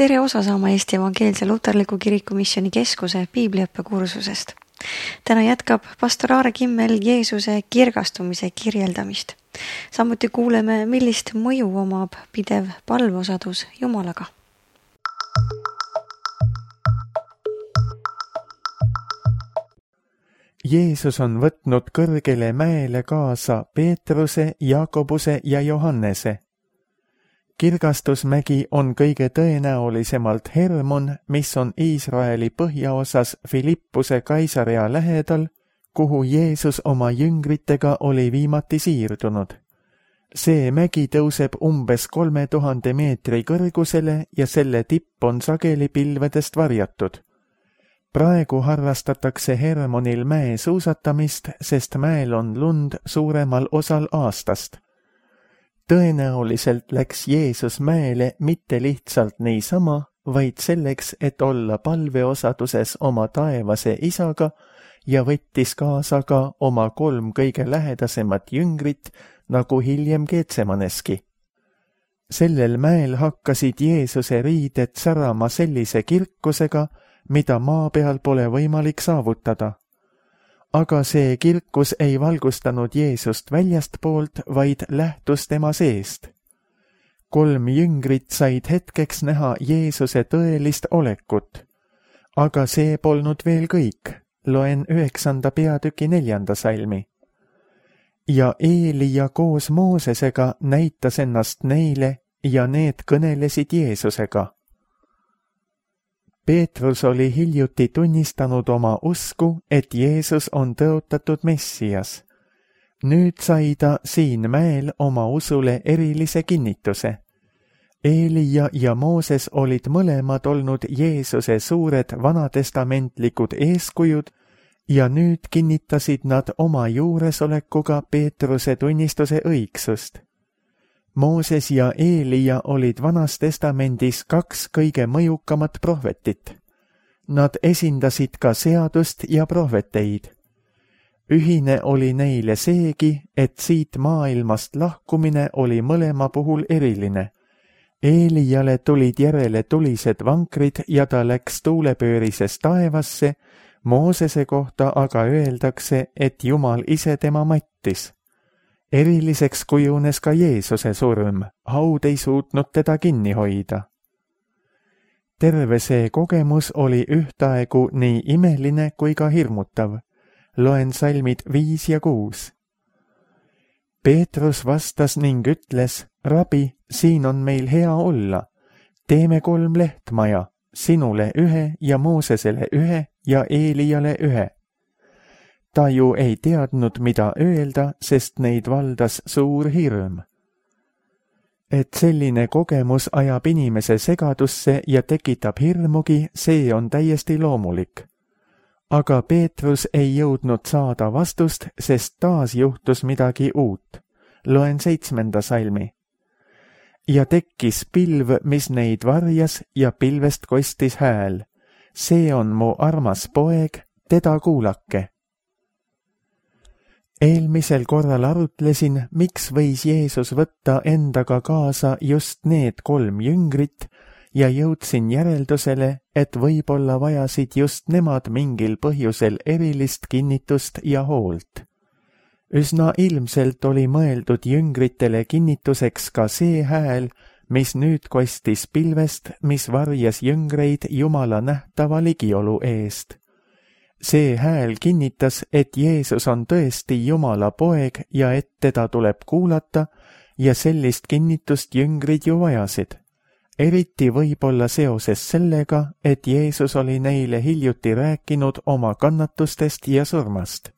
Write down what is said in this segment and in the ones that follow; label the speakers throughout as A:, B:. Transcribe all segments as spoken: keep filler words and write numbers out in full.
A: tere osa saama Eesti Evangeelse Luterliku Kiriku Missiooni Keskuse piibliõppekursusest. Täna jätkab pastor Aare Kimmel Jeesuse kirgastumise kirjeldamist. Samuti kuuleme, millist mõju omab pidev palveosadus Jumalaga.
B: Jeesus on võtnud kõrgele mäele kaasa Peetruse, Jaakobuse ja Johannese. Kirgastusmägi on kõige tõenäolisemalt Hermon, mis on Iisraeli põhjaosas Filippuse Kaisarea lähedal, kuhu Jeesus oma jüngritega oli viimati siirdunud. See mägi tõuseb umbes kolme tuhande meetri kõrgusele ja selle tipp on sageli pilvedest varjatud. Praegu harrastatakse Hermonil mäe suusatamist, sest mäel on lund suuremal osal aastast. Tõenäoliselt läks Jeesus mäele mitte lihtsalt niisama, vaid selleks, et olla palveosaduses oma taevase isaga ja võttis kaasa ka oma kolm kõige lähedasemat jüngrit, nagu hiljem Geetsemaneski. Sellel mäel hakkasid Jeesuse riided särama sellise kirkusega, mida maa peal pole võimalik saavutada. Aga see kirkus ei valgustanud Jeesust väljastpoolt, vaid lähtus tema seest. Kolm jüngrit said hetkeks näha Jeesuse tõelist olekut. Aga see polnud veel kõik. Loen üheksanda peatüki neljanda salmi. Ja Eelia koos Moosesega näitas ennast neile ja need kõnelesid Jeesusega. Peetrus oli hiljuti tunnistanud oma usku, et Jeesus on tõotatud Messias. Nüüd sai ta siin mäel oma usule erilise kinnituse. Eelia ja Mooses olid mõlemad olnud Jeesuse suured vanatestamentlikud eeskujud ja nüüd kinnitasid nad oma juuresolekuga Peetruse tunnistuse õigsust. Mooses ja Eelia olid Vanas Testamendis kaks kõige mõjukamat prohvetit. Nad esindasid ka seadust ja prohveteid. Ühine oli neile seegi, et siit maailmast lahkumine oli mõlema puhul eriline. Eeliale tulid järele tulised vankrid ja ta läks tuulepöörises taevasse, Moosese kohta aga öeldakse, et Jumal ise tema mattis. Eriliseks kujunes ka Jeesuse surm, haud ei suutnud teda kinni hoida. Terve see kogemus oli ühtaegu nii imeline kui ka hirmutav. Loen salmid viis ja kuus. Peetrus vastas ning ütles, Rabi, siin on meil hea olla. Teeme kolm lehtmaja, sinule ühe ja Moosesele ühe ja Eeliale ühe. Ta ju ei teadnud, mida öelda, sest neid valdas suur hirm. Et selline kogemus ajab inimese segadusse ja tekitab hirmugi, see on täiesti loomulik. Aga Peetrus ei jõudnud saada vastust, sest taas juhtus midagi uut. Loen seitsmenda salmi. Ja tekkis pilv, mis neid varjas ja pilvest kostis hääl. See on mu armas poeg, teda kuulake. Eelmisel korral arutlesin, miks võis Jeesus võtta endaga kaasa just need kolm jüngrit ja jõudsin järeldusele, et võib-olla vajasid just nemad mingil põhjusel erilist kinnitust ja hoolt. Üsna ilmselt oli mõeldud jüngritele kinnituseks ka see hääl, mis nüüd kostis pilvest, mis varjas jüngreid Jumala nähtava ligiolu eest. See hääl kinnitas, et Jeesus on tõesti Jumala poeg ja et teda tuleb kuulata ja sellist kinnitust jüngrid ju vajasid. Eriti võib-olla seoses sellega, et Jeesus oli neile hiljuti rääkinud oma kannatustest ja surmast.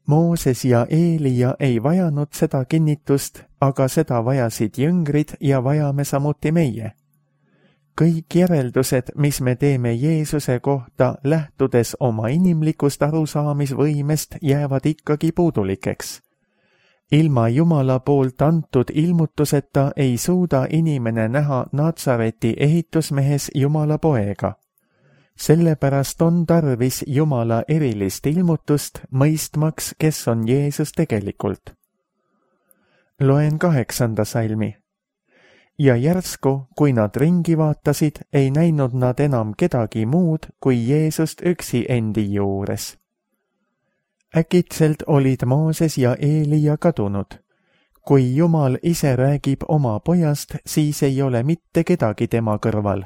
B: Mooses ja Eelia ei vajanud seda kinnitust, aga seda vajasid jüngrid ja vajame samuti meie. Kõik järeldused, mis me teeme Jeesuse kohta, lähtudes oma inimlikust arusaamisvõimest, jäävad ikkagi puudulikeks. Ilma Jumala poolt antud ilmutuseta ei suuda inimene näha Natsareti ehitusmehes Jumala poega. Sellepärast on tarvis Jumala erilist ilmutust, mõistmaks, kes on Jeesus tegelikult. Loen kaheksanda salmi. ja järsku, kui nad ringi vaatasid, ei näinud nad enam kedagi muud kui Jeesust üksi endi juures. Äkitselt olid Mooses ja Eelia kadunud. Kui Jumal ise räägib oma pojast, siis ei ole mitte kedagi tema kõrval.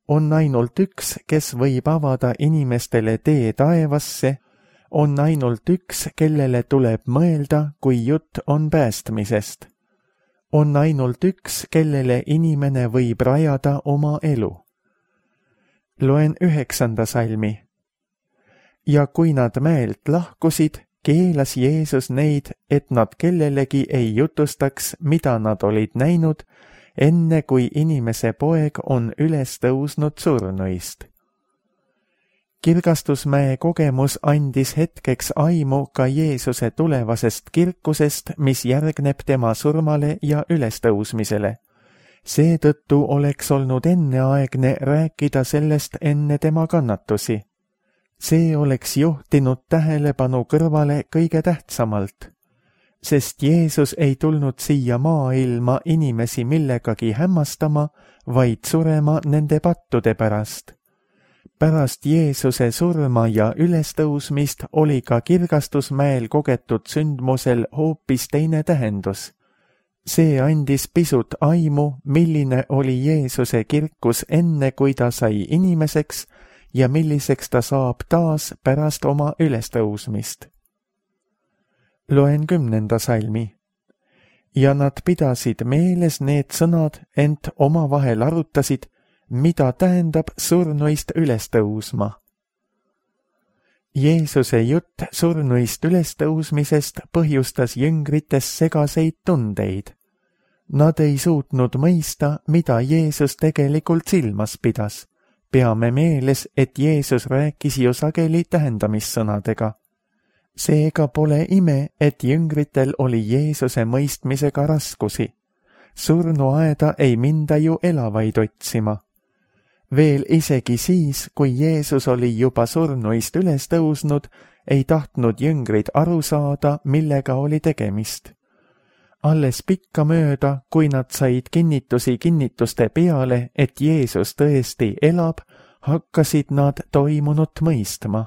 B: On ainult üks, kes võib avada inimestele tee taevasse, on ainult üks, kellele tuleb mõelda, kui jutt on päästmisest. On ainult üks, kellele inimene võib rajada oma elu. Loen üheksanda salmi. Ja kui nad mäelt lahkusid, keelas Jeesus neid, et nad kellelegi ei jutustaks, mida nad olid näinud, enne kui inimese poeg on üles tõusnud surnuist. Kirgastusmäe kogemus andis hetkeks aimu ka Jeesuse tulevasest kirkusest, mis järgneb tema surmale ja ülestõusmisele. Seetõttu oleks olnud enneaegne rääkida sellest enne tema kannatusi. See oleks juhtinud tähelepanu kõrvale kõige tähtsamalt, sest Jeesus ei tulnud siia maailma inimesi millegagi hämmastama, vaid surema nende pattude pärast. Pärast Jeesuse surma ja ülestõusmist oli ka Kirgastusmäel kogetud sündmusel hoopis teine tähendus. See andis pisut aimu, milline oli Jeesuse kirkus enne, kui ta sai inimeseks ja milliseks ta saab taas pärast oma ülestõusmist. Loen kümnenda salmi. Ja nad pidasid meeles need sõnad, ent omavahel arutasid, mida tähendab surnuist ülestõusma. Jeesuse jutt surnuist ülestõusmisest põhjustas jüngrites segaseid tundeid. Nad ei suutnud mõista, mida Jeesus tegelikult silmas pidas. Peame meeles, et Jeesus rääkis ju sageli tähendamissõnadega. Seega pole ime, et jüngritel oli Jeesuse mõistmisega raskusi. Surnuaeda ei minda ju elavaid otsima. Veel isegi siis, kui Jeesus oli juba surnuist üles tõusnud, ei tahtnud jüngrid aru saada, millega oli tegemist. Alles pikka mööda, kui nad said kinnitusi kinnituste peale, et Jeesus tõesti elab, hakkasid nad toimunut mõistma.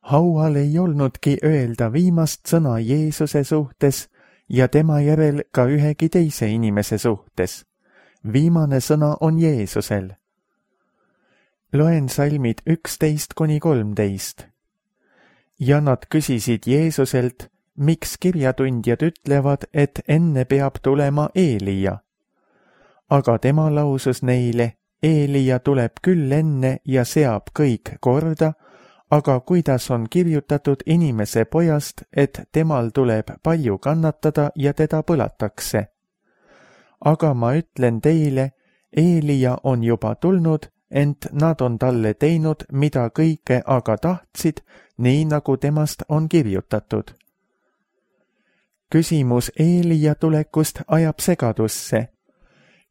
B: Haual ei olnudki öelda viimast sõna Jeesuse suhtes ja tema järel ka ühegi teise inimese suhtes. Viimane sõna on Jeesusel. Loen salmid üksteist kuni kolmteist. Ja nad küsisid Jeesuselt, miks kirjatundjad ütlevad, et enne peab tulema Eelia. Aga tema lausus neile, Eelia tuleb küll enne ja seab kõik korda, aga kuidas on kirjutatud inimese pojast, et temal tuleb palju kannatada ja teda põlatakse. Aga ma ütlen teile, Eelia on juba tulnud, ent nad on talle teinud, mida kõike aga tahtsid, nii nagu temast on kirjutatud. Küsimus Eelia tulekust ajab segadusse.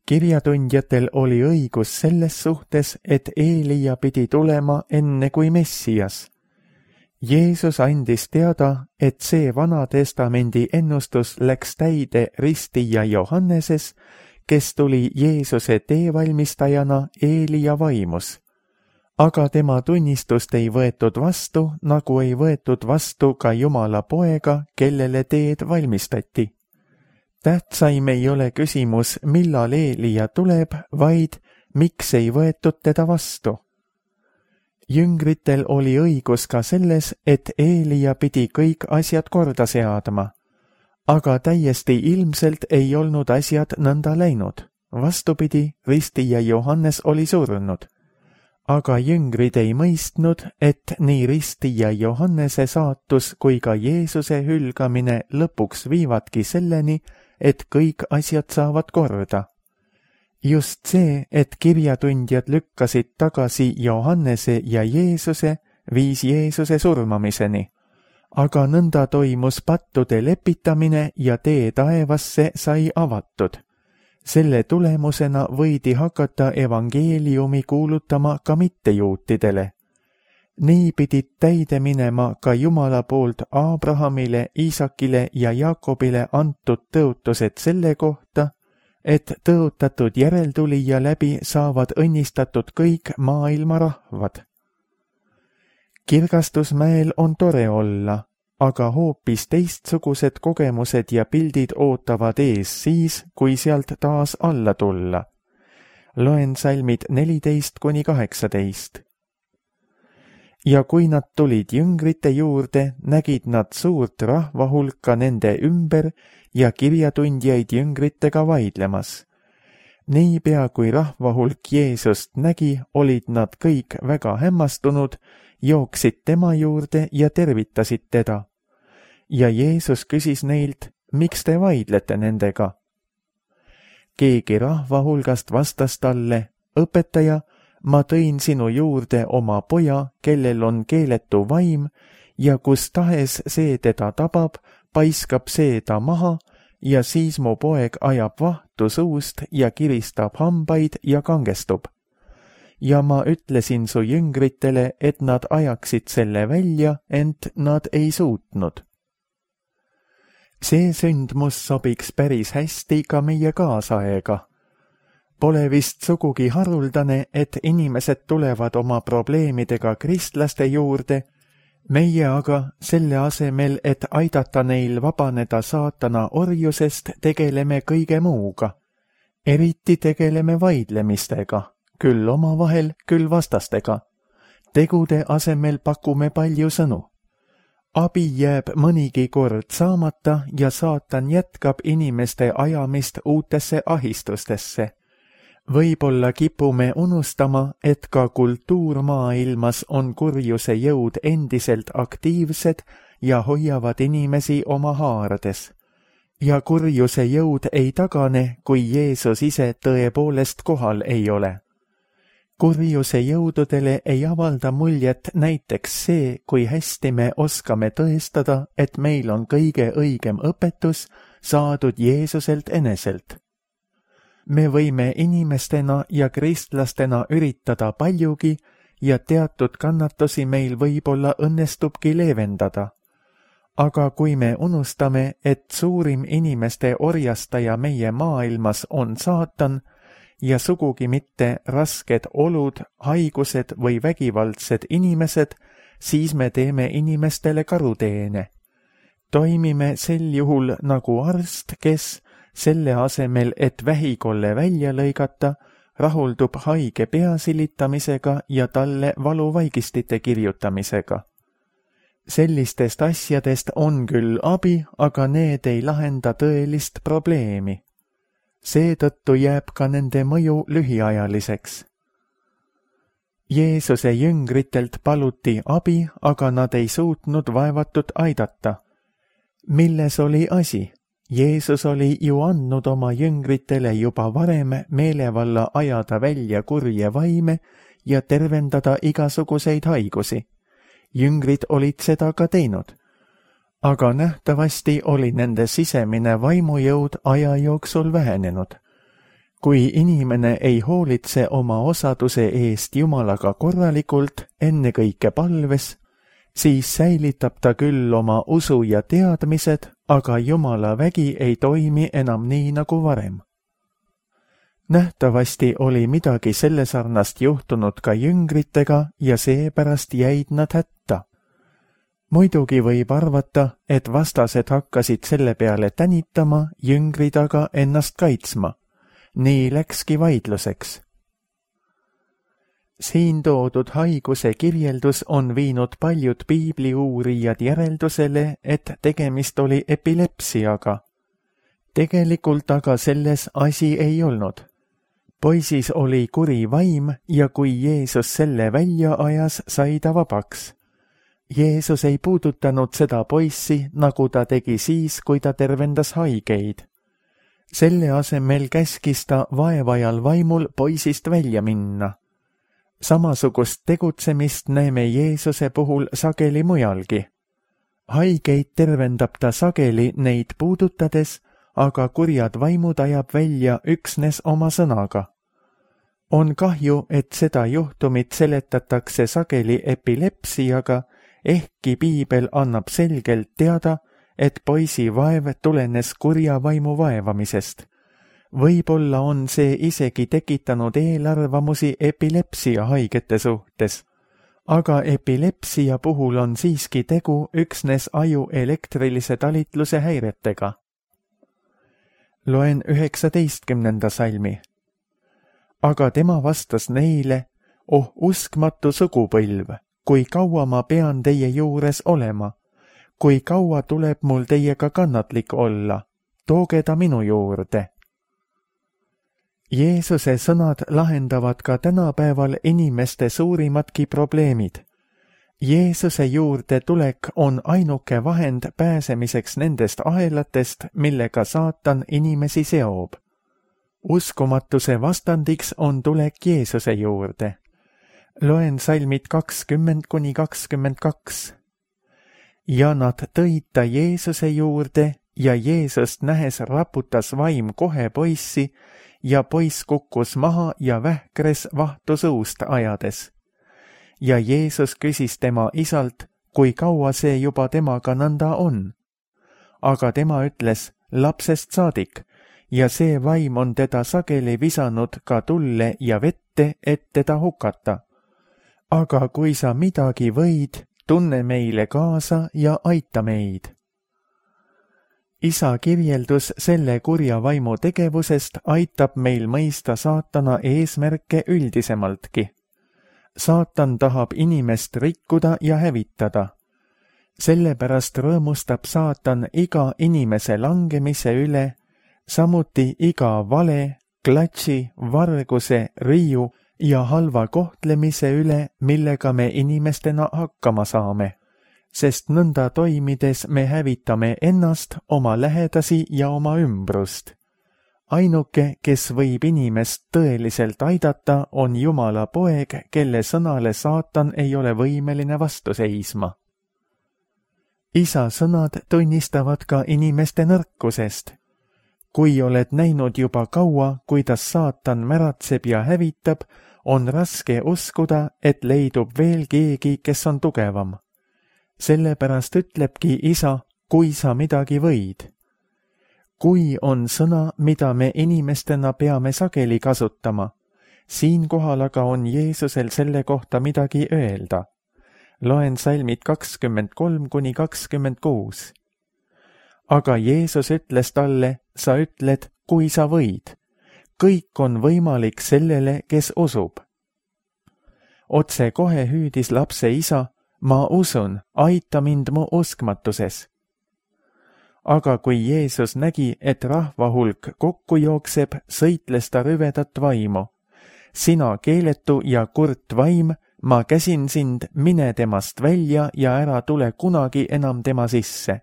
B: Kirjatundjatel oli õigus selles suhtes, et Eelia pidi tulema enne kui Messias. Jeesus andis teada, et see Vana Testamendi ennustus läks täide ristija Johanneses, kes tuli Jeesuse teevalmistajana Eelia vaimus. Aga tema tunnistust ei võetud vastu, nagu ei võetud vastu ka Jumala poega, kellele teed valmistati. Tähtsaim ei ole küsimus, millal Eelia tuleb, vaid miks ei võetud teda vastu. Jüngritel oli õigus ka selles, et Eelia pidi kõik asjad korda seadma. Aga täiesti ilmselt ei olnud asjad nõnda läinud. Vastupidi, ristija Johannes oli surnud. Aga jüngrid ei mõistnud, et nii ristija Johannese saatus kui ka Jeesuse hülgamine lõpuks viivadki selleni, et kõik asjad saavad korda. Just see, et kirjatundjad lükkasid tagasi Johannese ja Jeesuse, viis Jeesuse surmamiseni. Aga nõnda toimus pattude lepitamine ja tee taevasse sai avatud. Selle tulemusena võidi hakata evangeeliumi kuulutama ka mittejuutidele. Nii pidid täide minema ka Jumala poolt Abrahamile, Iisakile ja Jaakobile antud tõotused selle kohta, et tõotatud järeltulija läbi saavad õnnistatud kõik maailma rahvad. Kirgastusmäel on tore olla, aga hoopis teistsugused kogemused ja pildid ootavad ees siis, kui sealt taas alla tulla. Loen salmid neliteist kuni kaheksateist. Ja kui nad tulid jüngrite juurde, nägid nad suurt rahvahulka nende ümber ja kirjatundjaid jüngritega vaidlemas. Niipea kui rahvahulk Jeesust nägi, olid nad kõik väga hämmastunud, jooksid tema juurde ja tervitasid teda. Ja Jeesus küsis neilt, miks te vaidlete nendega? Keegi rahvahulgast vastas talle, õpetaja, ma tõin sinu juurde oma poja, kellel on keeletu vaim, ja kus tahes see teda tabab, paiskab see ta maha, ja siis mu poeg ajab vahtu suust ja kiristab hambaid ja kangestub. Ja ma ütlesin su jüngritele, et nad ajaksid selle välja, ent nad ei suutnud. See sündmus sobiks päris hästi ka meie kaasaega. Pole vist sugugi haruldane, et inimesed tulevad oma probleemidega kristlaste juurde, meie aga selle asemel, et aidata neil vabaneda saatana orjusest, tegeleme kõige muuga. Eriti tegeleme vaidlemistega, küll omavahel, küll vastastega. Tegude asemel pakume palju sõnu. Abi jääb mõnigi kord saamata ja saatan jätkab inimeste ajamist uutesse ahistustesse. Võib-olla kipume unustama, et ka kultuurmaailmas on kurjuse jõud endiselt aktiivsed ja hoiavad inimesi oma haarades. Ja kurjuse jõud ei tagane, kui Jeesus ise tõepoolest kohal ei ole. Kurjuse jõududele ei avalda muljet näiteks see, kui hästi me oskame tõestada, et meil on kõige õigem õpetus saadud Jeesuselt eneselt. Me võime inimestena ja kristlastena üritada paljugi ja teatud kannatusi meil võib-olla õnnestubki leevendada. Aga kui me unustame, et suurim inimeste orjastaja meie maailmas on saatan ja sugugi mitte rasked olud, haigused või vägivaldsed inimesed, siis me teeme inimestele karuteene. Toimime sel juhul nagu arst, kes selle asemel, et vähikolle välja lõigata, rahuldub haige pea silitamisega ja talle valuvaigistite kirjutamisega. Sellistest asjadest on küll abi, aga need ei lahenda tõelist probleemi. Seetõttu jääb ka nende mõju lühiajaliseks. Jeesuse jüngritelt paluti abi, aga nad ei suutnud vaevatut aidata. Milles oli asi? Jeesus oli ju andnud oma jüngritele juba varem meelevalla ajada välja kurje vaime ja tervendada igasuguseid haigusi. Jüngrid olid seda ka teinud. Aga nähtavasti oli nende sisemine vaimujõud aja jooksul vähenenud. Kui inimene ei hoolitse oma osaduse eest Jumalaga korralikult, ennekõike palves, siis säilitab ta küll oma usu ja teadmised, aga Jumala vägi ei toimi enam nii nagu varem. Nähtavasti oli midagi sellesarnast juhtunud ka jüngritega ja seepärast jäid nad hätta. Muidugi võib arvata, et vastased hakkasid selle peale tänitama, jüngrid aga ennast kaitsma. Nii läkski vaidluseks. Siin toodud haiguse kirjeldus on viinud paljud piibliuurijad järeldusele, et tegemist oli epilepsiaga. Tegelikult aga selles asi ei olnud. Poisis oli kuri vaim ja kui Jeesus selle välja ajas, sai ta vabaks. Jeesus ei puudutanud seda poissi, nagu ta tegi siis, kui ta tervendas haigeid. Selle asemel käskis ta vaevajal vaimul poisist välja minna. Samasugust tegutsemist näeme Jeesuse puhul sageli mujalgi. Haigeid tervendab ta sageli neid puudutades, aga kurjad vaimud ajab välja üksnes oma sõnaga. On kahju, et seda juhtumit seletatakse sageli epilepsiaga, ehkki piibel annab selgelt teada, et poisi vaev tulenes kurja vaimu vaevamisest. Võib-olla on see isegi tekitanud eelarvamusi epilepsia haigete suhtes, aga epilepsia puhul on siiski tegu üksnes aju elektrilise talitluse häiretega. Loen üheksateistkümnenda salmi. Aga tema vastas neile, oh uskmatu sugupõlv, kui kaua ma pean teie juures olema, kui kaua tuleb mul teiega kannatlik olla, tooge ta minu juurde. Jeesuse sõnad lahendavad ka tänapäeval inimeste suurimadki probleemid. Jeesuse juurde tulek on ainuke vahend pääsemiseks nendest ahelatest, millega saatan inimesi seob. Uskumatuse vastandiks on tulek Jeesuse juurde. Loen salmid kakskümmend kuni kakskümmend kaks. Ja nad tõid ta Jeesuse juurde ja Jeesust nähes raputas vaim kohe poissi ja poiss kukkus maha ja vähkres vahtu suust ajades. Ja Jeesus küsis tema isalt, kui kaua see juba temaga nõnda on. Aga tema ütles lapsest saadik ja see vaim on teda sageli visanud ka tulle ja vette, et teda hukata. Aga kui sa midagi võid, tunne meile kaasa ja aita meid. Isa kirjeldus selle kurja vaimu tegevusest aitab meil mõista saatana eesmärke üldisemaltki. Saatan tahab inimest rikkuda ja hävitada. Sellepärast rõõmustab saatan iga inimese langemise üle, samuti iga vale, klatši, varguse, riiu ja halva kohtlemise üle, millega me inimestena hakkama saame. Sest nõnda toimides me hävitame ennast, oma lähedasi ja oma ümbrust. Ainuke, kes võib inimest tõeliselt aidata, on Jumala poeg, kelle sõnale saatan ei ole võimeline vastu seisma. Isa sõnad tunnistavad ka inimeste nõrkusest. Kui oled näinud juba kaua, kuidas saatan märatseb ja hävitab, on raske uskuda, et leidub veel keegi, kes on tugevam. Sellepärast ütlebki isa, kui sa midagi võid. Kui on sõna, mida me inimestena peame sageli kasutama, siinkohal aga on Jeesusel selle kohta midagi öelda. Loen salmid kakskümmend kolm kuni kakskümmend kuus. Aga Jeesus ütles talle, sa ütled, kui sa võid. Kõik on võimalik sellele, kes usub. Otse kohe hüüdis lapse isa, ma usun, aita mind mu uskmatuses. Aga kui Jeesus nägi, et rahva hulk kokku jookseb, sõitles ta rüvedat vaimu. Sina keeletu ja kurt vaim, ma käsin sind, mine temast välja ja ära tule kunagi enam tema sisse.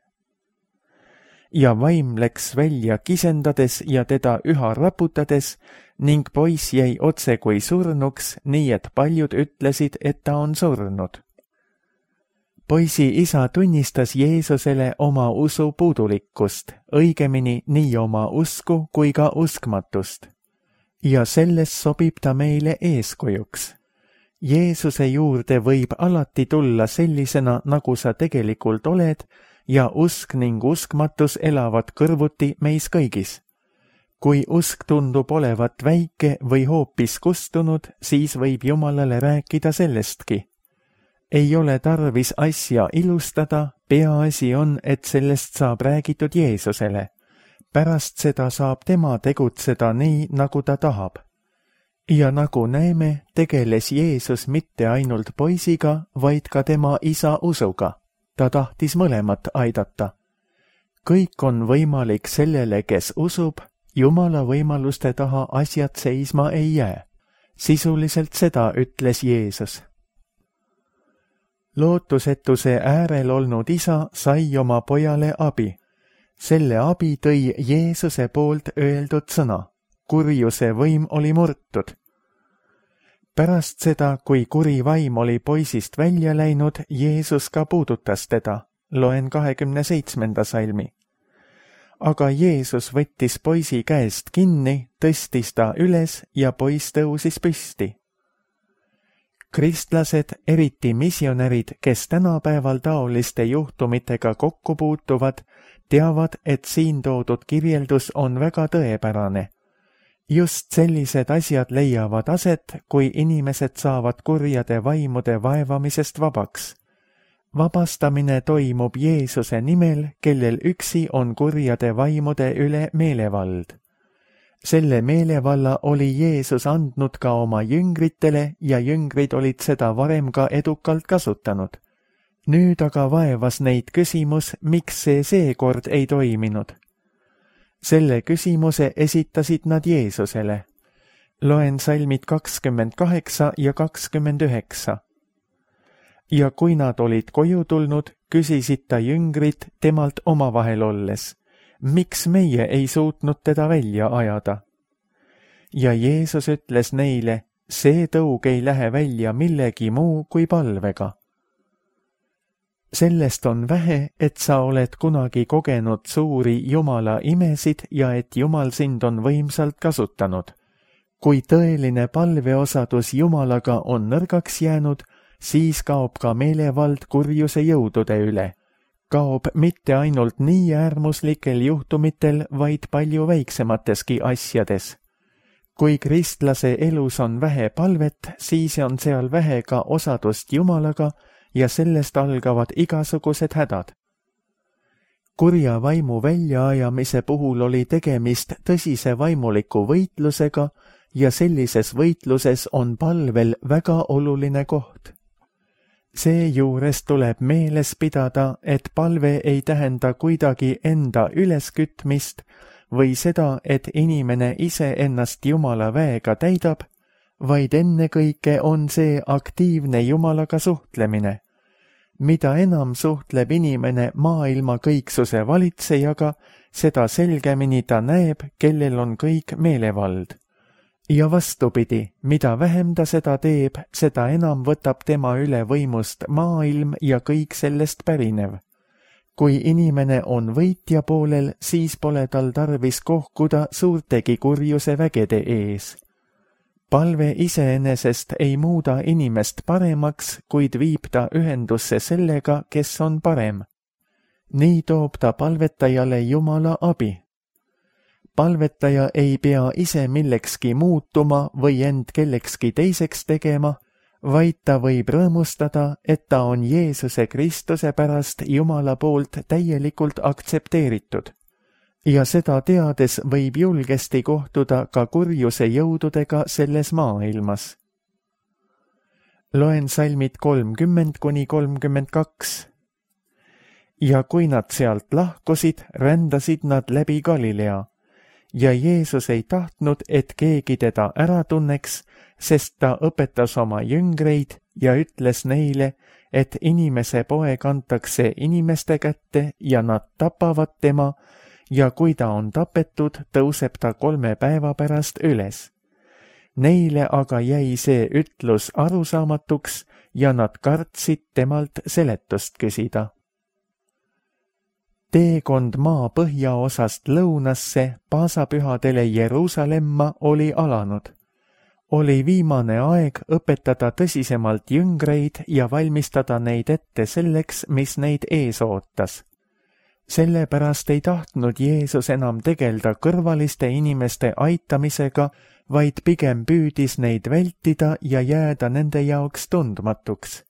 B: Ja vaim läks välja kisendades ja teda üha raputades ning poiss jäi otse kui surnuks, nii et paljud ütlesid, et ta on surnud. Poisi isa tunnistas Jeesusele oma usu puudulikkust, õigemini nii oma usku kui ka uskmatust. Ja selles sobib ta meile eeskujuks. Jeesuse juurde võib alati tulla sellisena, nagu sa tegelikult oled, ja usk ning uskmatus elavad kõrvuti meis kõigis. Kui usk tundub olevat väike või hoopis kustunud, siis võib Jumalale rääkida sellestki. Ei ole tarvis asja ilustada, peaasi on, et sellest saab räägitud Jeesusele. Pärast seda saab tema tegutseda nii, nagu ta tahab. Ja nagu näeme, tegeles Jeesus mitte ainult poisiga, vaid ka tema isa usuga. Ta tahtis mõlemat aidata. Kõik on võimalik sellele, kes usub, Jumala võimaluste taha asjad seisma ei jää. Sisuliselt seda ütles Jeesus. Lootusetuse äärel olnud isa sai oma pojale abi. Selle abi tõi Jeesuse poolt öeldud sõna. Kurjuse võim oli murtud. Pärast seda, kui kuri vaim oli poisist välja läinud, Jeesus ka puudutas teda. Loen kahekümne seitsmenda salmi. Aga Jeesus võttis poisi käest kinni, tõstis ta üles ja poiss tõusis püsti. Kristlased, eriti missionärid, kes tänapäeval taoliste juhtumitega kokku puutuvad, teavad, et siin toodud kirjeldus on väga tõepärane. just sellised asjad leiavad aset, kui inimesed saavad kurjade vaimude vaevamisest vabaks. Vabastamine toimub Jeesuse nimel, kellel üksi on kurjade vaimude üle meelevald. Selle meelevalla oli Jeesus andnud ka oma jüngritele ja jüngrid olid seda varem ka edukalt kasutanud. Nüüd aga vaevas neid küsimus, miks see seekord ei toiminud. Selle küsimuse esitasid nad Jeesusele. Loen salmid kakskümmend kaheksa ja kakskümmend üheksa. Ja kui nad olid koju tulnud, küsisid ta jüngrid temalt omavahel olles, miks meie ei suutnud teda välja ajada? Ja Jeesus ütles neile, see tõug ei lähe välja millegi muu kui palvega. Sellest on vähe, et sa oled kunagi kogenud suuri Jumala imesid ja et Jumal sind on võimsalt kasutanud. Kui tõeline palveosadus Jumalaga on nõrgaks jäänud, siis kaob ka meelevald kurjuse jõudude üle. Kaob mitte ainult nii äärmuslikel juhtumitel, vaid palju väiksemateski asjades. Kui kristlase elus on vähe palvet, siis on seal vähe ka osadust Jumalaga ja sellest algavad igasugused hädad. Kurja vaimu väljaajamise puhul oli tegemist tõsise vaimuliku võitlusega ja sellises võitluses on palvel väga oluline koht. Seejuures tuleb meeles pidada, et palve ei tähenda kuidagi enda üleskütmist või seda, et inimene ise ennast Jumala väega täidab, vaid ennekõike on see aktiivne Jumalaga suhtlemine. Mida enam suhtleb inimene maailma kõiksuse valitsejaga, seda selgemini ta näeb, kellel on kõik meelevald. Ja vastupidi, mida vähem ta seda teeb, seda enam võtab tema üle võimust maailm ja kõik sellest pärinev. Kui inimene on võitja poolel, siis pole tal tarvis kohkuda suurtegi kurjuse vägede ees. Palve iseenesest ei muuda inimest paremaks, kuid viib ta ühendusse sellega, kes on parem. Nii toob ta palvetajale Jumala abi. Palvetaja ei pea ise millekski muutuma või end kellekski teiseks tegema, vaid ta võib rõõmustada, et ta on Jeesuse Kristuse pärast Jumala poolt täielikult aktsepteeritud. Ja seda teades võib julgesti kohtuda ka kurjuse jõududega selles maailmas. Loen salmid kolmkümmend kuni kolmkümmend kaks. Ja kui nad sealt lahkusid, rändasid nad läbi Galilea. Ja Jeesus ei tahtnud, et keegi teda ära tunneks, sest ta õpetas oma jüngreid ja ütles neile, et inimese poeg antakse inimeste kätte ja nad tapavad tema, ja kui ta on tapetud, tõuseb ta kolme päeva pärast üles. Neile aga jäi see ütlus arusaamatuks ja nad kartsid temalt seletust küsida. Teekond maa põhjaosast lõunasse paasapühadele Jeruusalemma oli alanud. Oli viimane aeg õpetada tõsisemalt jüngreid ja valmistada neid ette selleks, mis neid ees ootas. Sellepärast ei tahtnud Jeesus enam tegelda kõrvaliste inimeste aitamisega, vaid pigem püüdis neid vältida ja jääda nende jaoks tundmatuks.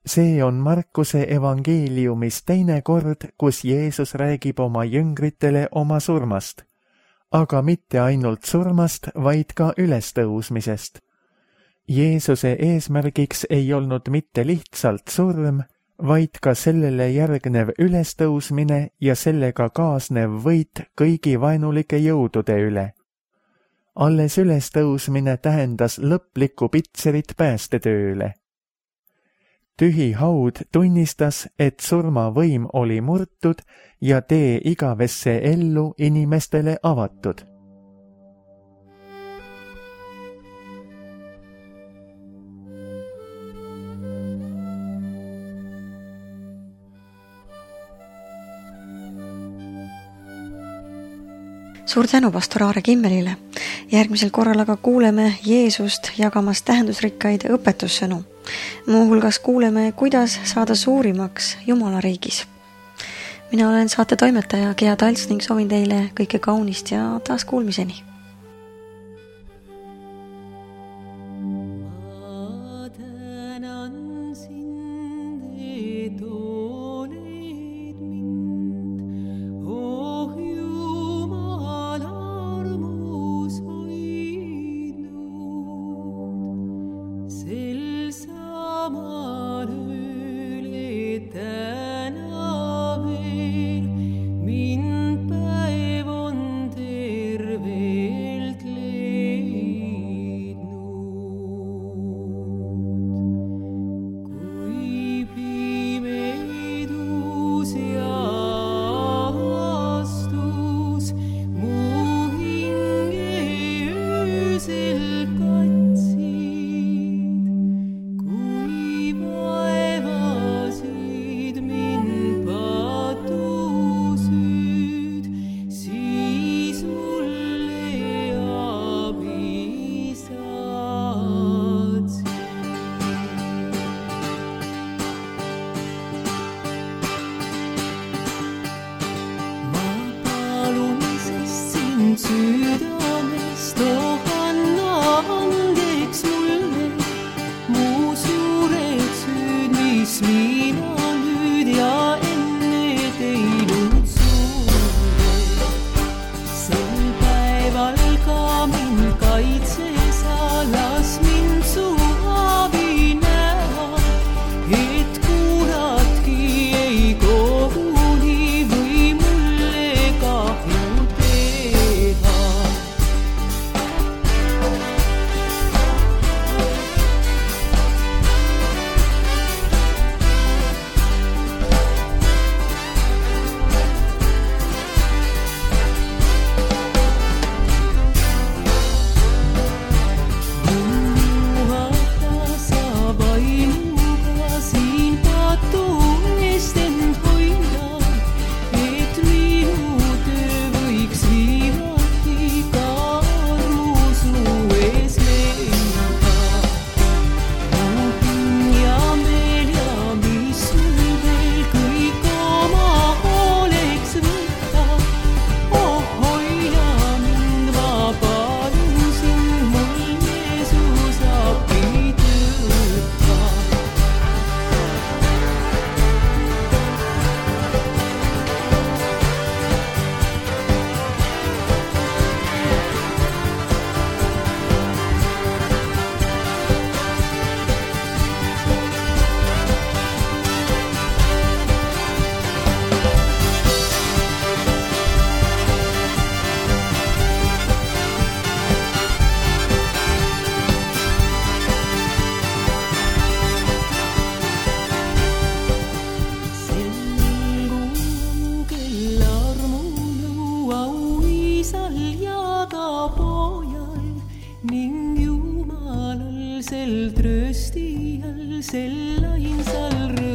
B: See on Markuse evangeeliumis teine kord, kus Jeesus räägib oma jüngritele oma surmast, aga mitte ainult surmast, vaid ka ülestõusmisest. Jeesuse eesmärgiks ei olnud mitte lihtsalt surm, vaid ka sellele järgnev ülestõusmine ja sellega kaasnev võit kõigi vaenulike jõudude üle. Alles ülestõusmine tähendas lõplikku pitserit päästetööle. Tühi haud tunnistas, et surmavõim oli murtud ja tee igavesse ellu inimestele avatud.
A: Suur tänu pastor Aare Kimmelile. Järgmisel korral aga kuuleme Jeesust jagamas tähendusrikkaid õpetussõnu. Muuhulgas kuuleme, kuidas saada suurimaks Jumala riigis. Mina olen saate toimetaja Gea Talts ning soovin teile kõike kaunist ja taas kuulmiseni.
C: südamest, oh anna andeks mulle mu suured süüd, mis mina nüüd ja enne teinud sulle. Sel päeval ka mind kaitse sa, las mind su abi näha, et kuulatki ei koguni või mulle kahju teha. Juhata sa vaimuga siin patu eest end hoida, et minu töö võiks viimati ka armu su ees leida. Muhin ja meel ja mis sul veel kõik oma oleks võtta, oh hoia mind, ma palun sind, mul Jeesus appi tõtta. Sel kel armu nõuau isal ja ka pojal ning Jumalal, sel tröstijal, sel ainsal rõõmsal